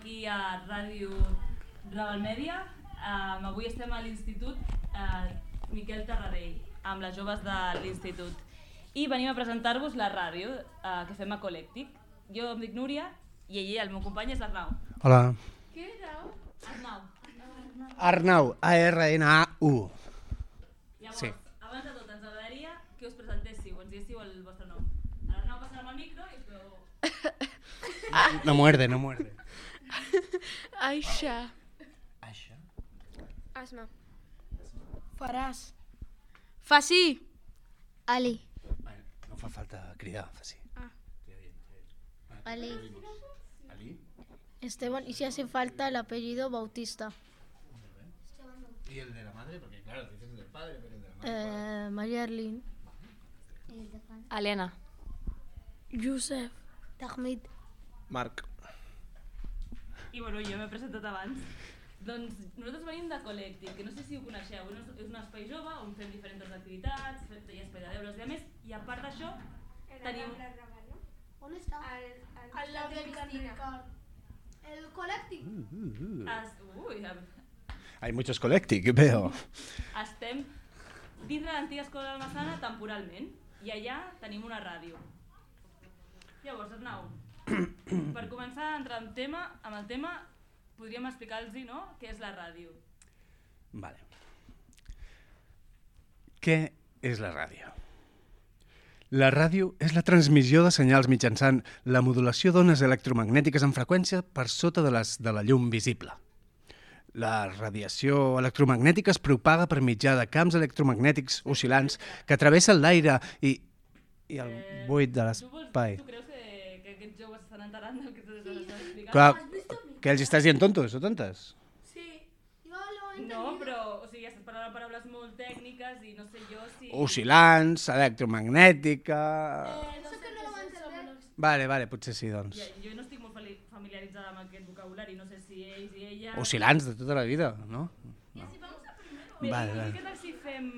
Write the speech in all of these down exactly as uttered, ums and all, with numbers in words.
aquí a Ràdio Rebelmèdia. Um, avui estem a l'Institut uh, Miquel Tarradell, amb les joves de l'Institut. I venim a presentar-vos la ràdio uh, que fem a Colèctic. Jo em dic Núria i ell, el meu company, és Arnau. Hola. Què Arnau? Arnau. Arnau, A R N A U. Llavors, sí. Abans de tot, ens agradaria que us presentéssiu, ens diguéssiu el vostre nom. L'Arnau passarà amb el micro i us veu... No muerde, no muerde. Aisha. Aisha. Asma. Faràs. Fasí. Ali. No fa falta cridar, Fasí. Ah. Ali. Ali. Esteban, y si hace falta el apellido Bautista. ¿Y el de la madre? Porque claro, dices el del padre, pero el de la madre. Eh, María Arlene. Helena. Josep. Tahmid. Marc. I bueno, jo m'he presentat abans. Doncs nosaltres venim de Colèctic, que no sé si ho coneixeu, és un espai jove on fem diferents activitats, hi ha espai de deures i a més, i a part d'això tenim... On està? Al lado del Cristina. El Colèctic. Es... Ui, Hay muchos Colèctic, veo. estem dins de l'antiga escola del Massana temporalment i allà tenim una ràdio. Llavors, Arnau, per començar a entrar en tema, amb el tema, podríem explicar-los, no?, què és la ràdio. Vale. Què és la ràdio? La ràdio és la transmissió de senyals mitjançant la modulació d'ones electromagnètiques en freqüència per sota de, les, de la llum visible. La radiació electromagnètica es propaga per mitjà de camps electromagnètics oscil·lants que travessen l'aire i, i el buit de l'espai. Tu creus que, que aquests joves estan enterant del que t'estàs explicant? Clar, que els estàs dient tontos o tontes? Sí. Jo lo he No, però, o sigui, estàs parlant paraules molt tècniques i no sé jo si... Oscil·lants, electromagnètica... Eh, no sé que no ho entendré. Vale, vale, potser sí, doncs. Ja, jo no estic molt fali- familiaritzada amb aquest vocabulari, no sé si ells i ella... Oscil·lants de tota la vida, no? I si vamos a primero... Vale, Bé, vale. Què tal si fem...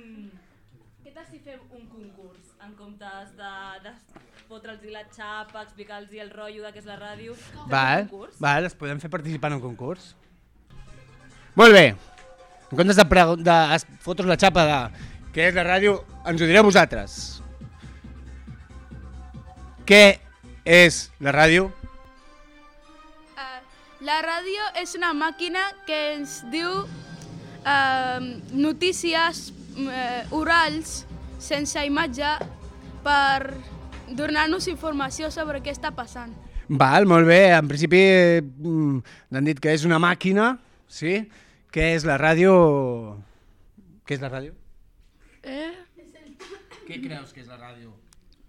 Què tal si fem un concurs? En comptes de, de fotre'ls la xapa, explicar-los el rotllo de què és la ràdio... fem Val, un concurs? val, els podem fer participar en un concurs. Molt bé. En comptes de, pregu- de es- fotre'ls la xapa de què és la ràdio, ens ho direu vosaltres. Què és la ràdio? Uh, la ràdio és una màquina que ens diu uh, notícies uh, orals sense imatge per donar-nos informació sobre què està passant. Val, molt bé. En principi mm, n'han dit que és una màquina, sí? Què és la ràdio? Què és la ràdio? Eh, Què creus que és la ràdio?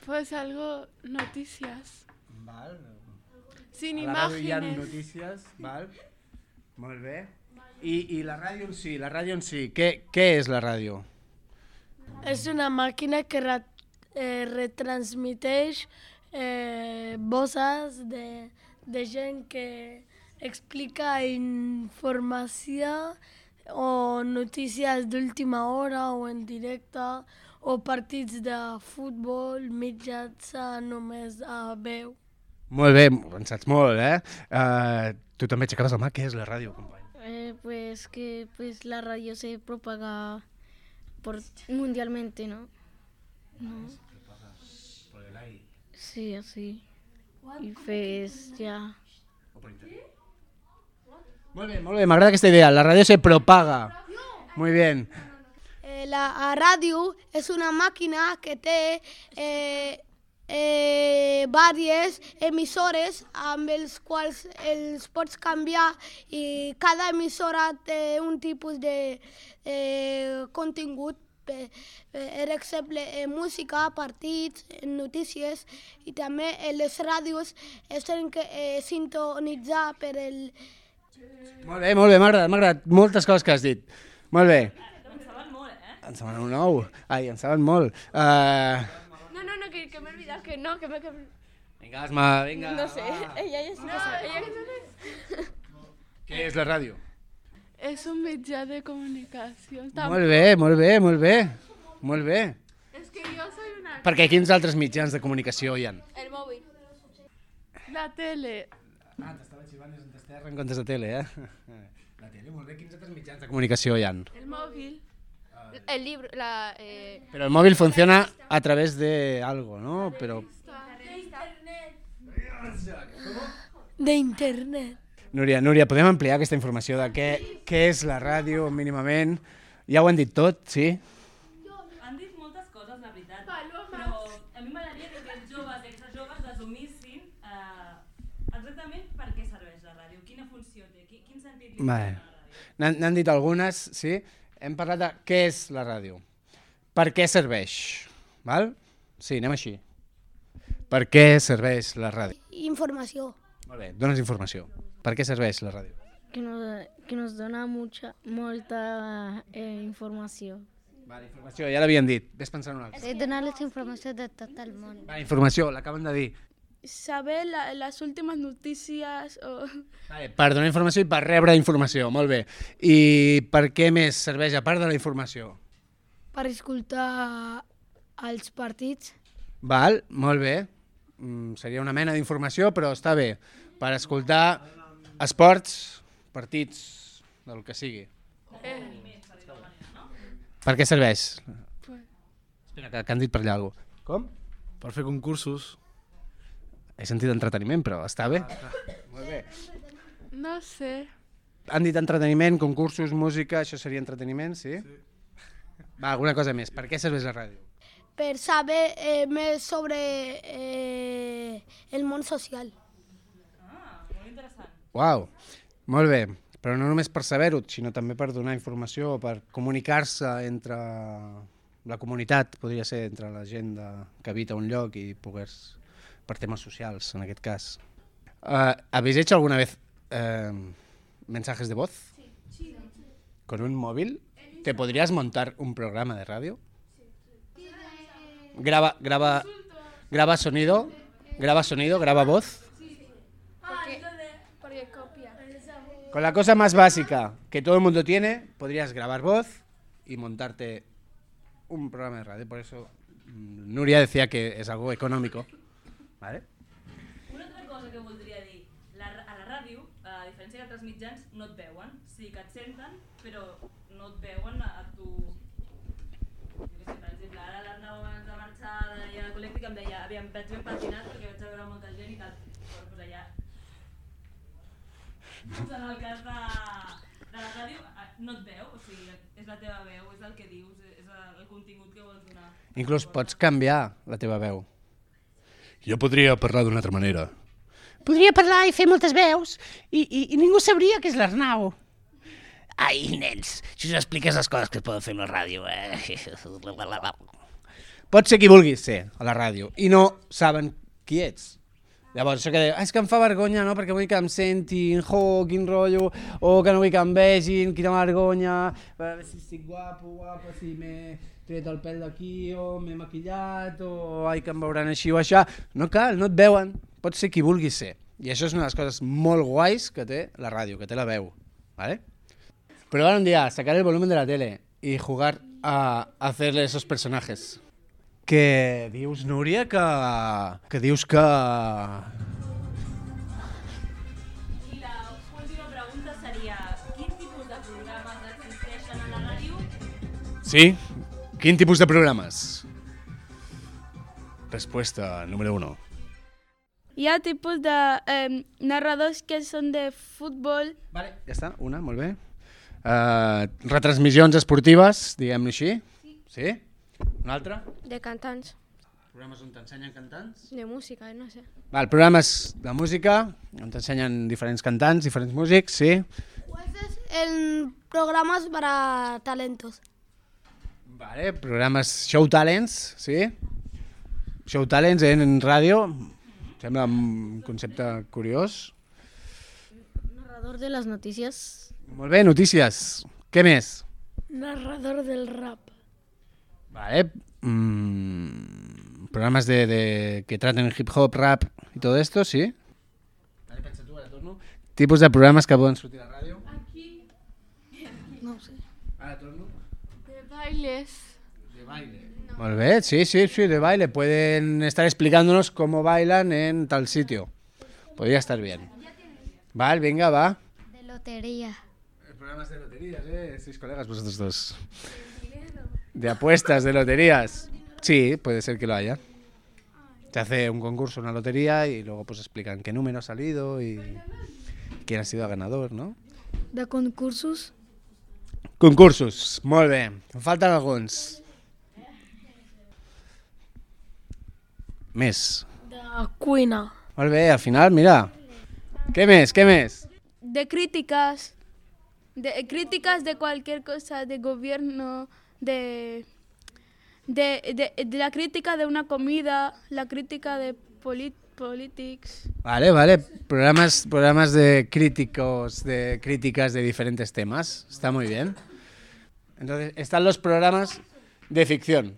pues algo, noticias. Val. Sin A la ràdio hi ha imágenes. notícies, val? Molt bé. I, I la ràdio en si, la ràdio en si, què, què és la ràdio? És una màquina que re, eh, retransmiteix eh, voces de, de gent que explica informació o notícies d'última hora o en directe o partits de futbol mitjançant només a veu. Molt bé, en saps molt, eh? Uh, tu també aixecaves la mà, què és la ràdio, company? Eh, pues que pues la radio se propaga por mundialmente, ¿no? ¿No? Por el aire. Sí, así. Y pues ya. O por internet. Molt bé, molt bé, m'agrada aquesta idea, la ràdio se propaga. Muy bien. Eh, la ràdio és una màquina que té eh, eh, diverses emissores amb els quals els pots canviar i cada emissora té un tipus de eh, contingut, per, per exemple, eh, música, partits, notícies i també eh, les ràdios es tenen que eh, sintonitzar per el... Molt bé, molt bé, m'ha agradat, m'ha agradat moltes coses que has dit. Molt bé. En saben molt, eh? En saben un nou. Ai, en saben molt. Uh... No, no, no, que, que me he olvidado, que no, que me... Que... Vinga, Asma, vinga. No sé, va. ella ja sí que sabe. Ella... Què és la ràdio? Es un mitjà de comunicación. Molt bé, molt bé, molt bé. Molt bé. Es que yo soy una... Perquè quins altres mitjans de comunicació hi ha? El móvil. La tele. Ah, t'estava xivant des de terra en comptes de tele, eh? La tele, molt bé. Quins altres mitjans de comunicació hi ha? El móvil. El libro, la... Eh... Pero el móvil funciona a través de algo, ¿no? Pero... De internet. Núria, Núria, podem ampliar aquesta informació de què, què és la ràdio mínimament? Ja ho han dit tot, sí? Han dit moltes coses, la veritat, però a mi m'agradaria que els joves i exjoves resumíssim eh, exactament per què serveix la ràdio, quina funció té, quin, quin sentit li dona Vale. la ràdio. N'han n'han dit algunes, sí? Hem parlat de què és la ràdio, per què serveix, val? Sí, anem així. Per què serveix la ràdio? Informació. Molt bé, dones informació. Per què serveix la ràdio? Que nos, que nos dona mucha, molta eh, informació. Vale, informació, ja l'havien dit. Ves pensant una altra. Eh, donar les informacions de tot el món. Vale, informació, l'acaben de dir. Saber la, las últimas noticias o... Vale, per donar informació i per rebre informació, molt bé. I per què més serveix a part de la informació? Per escoltar els partits. Val, molt bé. Mm, seria una mena d'informació, però està bé. Per escoltar esports, partits, del que sigui. Per què serveix? Espera, que, que han dit per allà alguna cosa. Com? Per fer concursos. He sentit entreteniment, però està bé. Molt bé. No sé. Han dit entreteniment, concursos, música, això seria entreteniment, sí? Sí. Va, alguna cosa més. Per què serveix la ràdio? Per saber eh, més sobre eh, el món social. Ah, molt interessant. Uau, molt bé. Però no només per saber-ho, sinó també per donar informació, per comunicar-se entre la comunitat, podria ser entre la gent de, que habita un lloc i poder, per temes socials, en aquest cas. Uh, ¿Habéis hecho alguna vez uh, mensajes de voz? Sí. Sí. ¿Con un móvil? ¿Te podrías montar un programa de radio? Graba, graba, graba sonido, graba sonido, graba voz. Porque copia. Con la cosa más básica que todo el mundo tiene, podrías grabar voz y montarte un programa de radio. Por eso mmm, Núria decía que es algo económico. ¿Vale? Una altra cosa que voldria dir, la, a la ràdio, a diferència d'altres mitjans, no et veuen. Sí que et senten, però no et veuen a, a tu... Jo què sé, per exemple, ara l'Arnau abans de marxar d'allà al col·lecte que em deia aviam, vaig ben patinat perquè vaig a veure molta gent i tal. Però pues allà... Doncs en el cas de, de la ràdio no et veu, o sigui, és la teva veu, és el que dius, és el contingut que vols donar. Inclús pots canviar la teva veu. Jo podria parlar d'una altra manera. Podria parlar i fer moltes veus i, i, i ningú sabria que és l'Arnau. Ai, nens, si us expliques les coses que es poden fer amb la ràdio, eh? Pots ser qui vulguis ser a la ràdio i no saben qui ets. Llavors, això que diu, ah, és que em fa vergonya, no?, perquè vull que em sentin, jo, quin rotllo, o que no vull que em vegin, quina vergonya, a veure si estic guapo, guapa, si m'he tret el pèl d'aquí, o m'he maquillat, o ai, que em veuran així o això. No cal, no et veuen, pots ser qui vulguis ser. I això és una de les coses molt guais que té la ràdio, que té la veu, ¿vale? Probar un día, sacar el volumen de la tele y jugar a hacerle esos personajes. Que dius, Núria, que, que dius que... I la última pregunta seria, quin tipus de programes existeixen a la ràdio? Sí, quin tipus de programes? Respuesta número uno. Hi ha tipus de eh, narradors que són de futbol. Vale, ja està, una, molt bé. Uh, retransmissions esportives, diguem-ne així. Sí. Sí? Una altra? De cantants. Programes on t'ensenyen cantants? De música, no sé. Val, programes de música, on t'ensenyen diferents cantants, diferents músics, sí. Pues en programas para talentos. Vale, programes Show Talents, sí. Show Talents en, en ràdio, sembla un concepte curiós. Narrador de les notícies. Molt bé, notícies. Què més? Narrador del rap. Vale. Mm, programas de, de que traten hip hop, rap y todo esto, sí. Vale, pensa tu, ara torno. Tipus de programes que poden sortir a la ràdio. Aquí. No ho sé. Ara torno. De bailes. De baile. No. Molt bé, sí, sí, sí, de baile. Pueden estar explicándonos cómo bailan en tal sitio. Podría estar bien. Val, venga, va. De lotería. Programas de loterías, ¿eh? Sois colegas vosotros dos. De apuestas, de loterías. Sí, puede ser que lo haya. Se hace un concurso, una lotería, y luego pues explican qué número ha salido y quién ha sido el ganador, ¿no? De concursos? Concursos, molt bé. Em falten alguns. Més. De cuina. Molt bé, al final, mira. Què més, què més? De críticas, de críticas de cualquier cosa, de gobierno, de, de, de, de la crítica de una comida, la crítica de polit, politics. Vale, vale. Programas, programas de críticos, de críticas de diferentes temas. Está muy bien. Entonces, están los programas de ficción,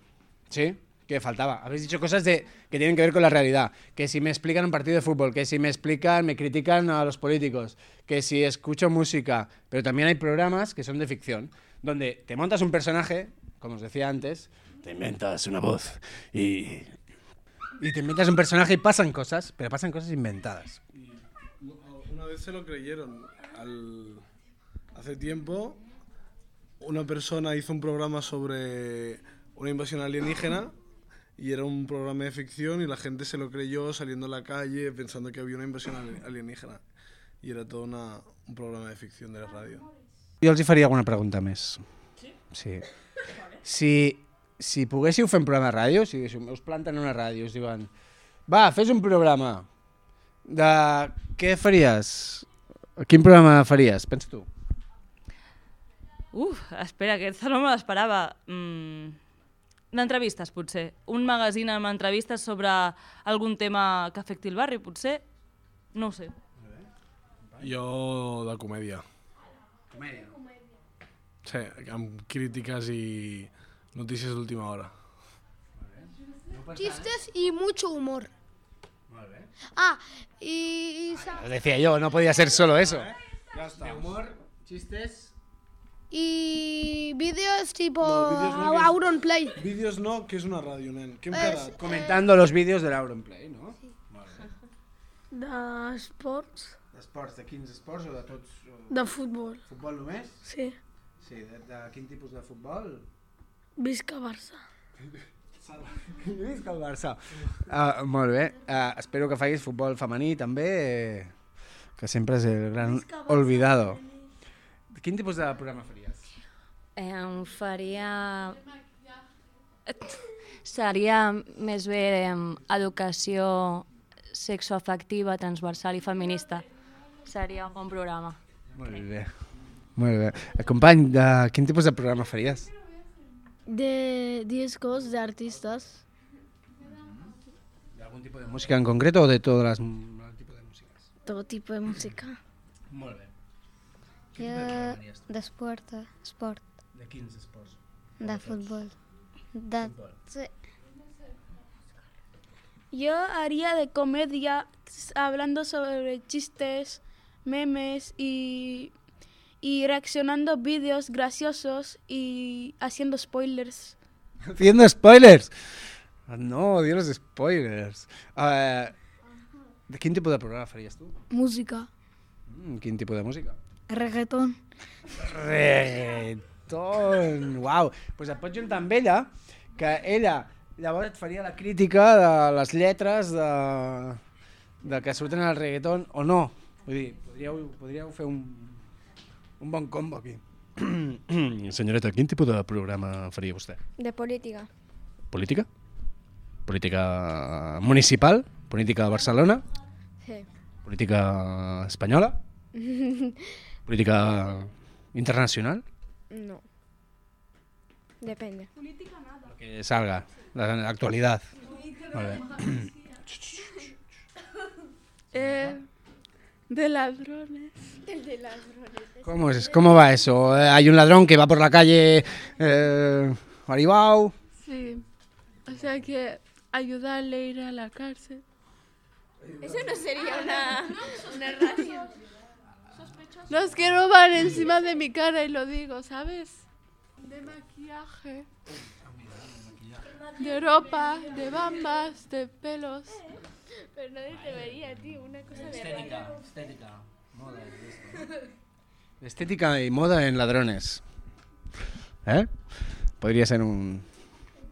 ¿sí? Que faltaba. Habéis dicho cosas de, que tienen que ver con la realidad. Que si me explican un partido de fútbol, que si me explican, me critican a los políticos, que si escucho música. Pero también hay programas que son de ficción, donde te montas un personaje, como os decía antes, te inventas una voz y... Y te inventas un personaje y pasan cosas, pero pasan cosas inventadas. Una vez se lo creyeron. Al... Hace tiempo, una persona hizo un programa sobre una invasión alienígena y era un programa de ficción y la gente se lo creyó saliendo a la calle pensando que había una invasión alienígena. Y era todo una, un programa de ficción de la ràdio. Jo els hi faria alguna pregunta més. Sí? Sí. Si... Si poguéssiu fer un programa de ràdio, si us planten una ràdio i us diuen va, fes un programa, de què faries? Quin programa faries? Pensa tu. Uf, espera, aquesta no me l'esperava. Mm, d'entrevistes, potser. Un magazín amb entrevistes sobre algun tema que afecti el barri, potser. No ho sé. Jo de comèdia. Comèdia? Sí, amb crítiques i... Noticias de última hora. Chistes y mucho humor. Ah, y... y Lo decía yo, no podía ser solo eso. Ya está. De humor, chistes... Y vídeos tipo No, vídeos no, que es- Auronplay. Vídeos no, que és una ràdio, nen. Què hem Eh, quedat? Comentando los vídeos de l'Auronplay, no? D'esports? D'esports, de quins esports o de tots? De futbol. Futbol només? Sí. Sí, de, de quin tipus de futbol? Visca Barça. Visca el Barça. Uh, molt bé. Uh, espero que facis futbol femení també, eh, que sempre és el gran olvidado. Quin tipus de programa faries? Eh, em faria... Seria més bé em, educació sexoafectiva, transversal i feminista. Seria un bon programa. Molt bé. Molt bé. Eh, company, de quin tipus de programa faries? De discos, de artistas. ¿De algún tipo de música en concreto o de todas las todo tipo de músicas? Todo tipo de música. Molt bé. Jo d'esport, esport, De quins esports? de futbol. De... Futbol. Sí. Yo haría de comedia, hablando sobre chistes, memes y, y reaccionando vídeos graciosos y haciendo spoilers. Haciendo spoilers. No, Dios los spoilers. Uh, de quin tipus de programa faries tu? Música. Mm, quin tipus de música? Reggaeton. Reggaeton. Uau. Pues et pots juntar amb ella, que ella llavors et faria la crítica de les lletres de, de que surten al reggaeton o no. Vull dir, podríeu, podríeu fer un, un bon combo aquí. Senyoreta, quin tipus de programa faria vostè? De política. Política? Política municipal? Política de Barcelona? Sí. Política espanyola? Política internacional? No. Depende. Lo que salga, la, la actualidad. Vale. Eh, de ladrones. El de ladrones. ¿Cómo, es, ¿Cómo va eso? Eh, Hay un ladrón que va por la calle eh, Maribao. Sí. O sea que ayudarle a ir a la cárcel. Eso no sería una, una radio. Los que roban encima de mi cara y lo digo, ¿sabes? De maquillaje. De ropa, de bambas, de pelos. Pero nadie te vería, tío, una cosa de Estética, radio. estética. Estética y moda en ladrones. ¿Eh? Podría ser un,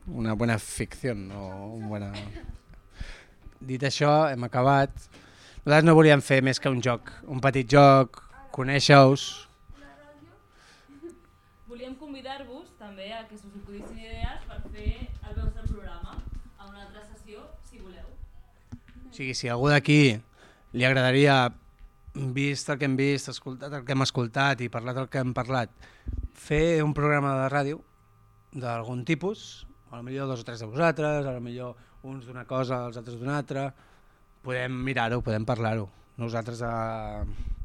una buena ficción o un buena... Dit això, hem acabat. Nosaltres no volíem fer més que un joc, un petit joc, conèixer-vos. Volíem convidar-vos també a que us acudissin idees per fer el vostre programa a una altra sessió, si voleu. O sigui, si algú d'aquí li agradaria, vist el que hem vist, escoltat el que hem escoltat i parlat el que hem parlat, fer un programa de ràdio d'algun tipus, potser dos o tres de vosaltres, potser uns d'una cosa, els altres d'una altra, podem mirar-ho, podem parlar-ho. Nosaltres a,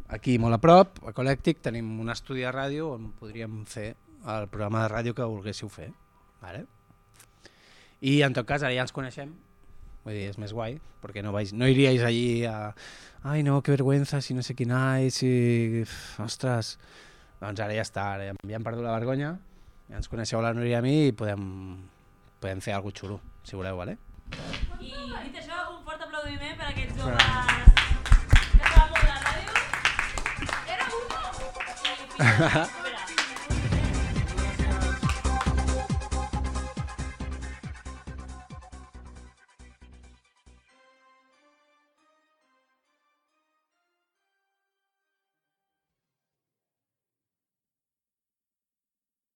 aquí molt a prop, a Ecolèctic, tenim un estudi de ràdio on podríem fer el programa de ràdio que volguéssiu fer. Vale? I en tot cas, ara ja ens coneixem, vull dir, és més guai, perquè no, vais, no iríais allí a ai no, que vergüenza, si no sé quin ai, si... Ostres, doncs ara ja està, ara ja hem perdut la vergonya, ja ens coneixeu la Núria i a mi i podem, podem fer alguna cosa xulo, si voleu, vale? I dit això, un fort aplaudiment per a aquests joves que saben molt de la ràdio. Era un...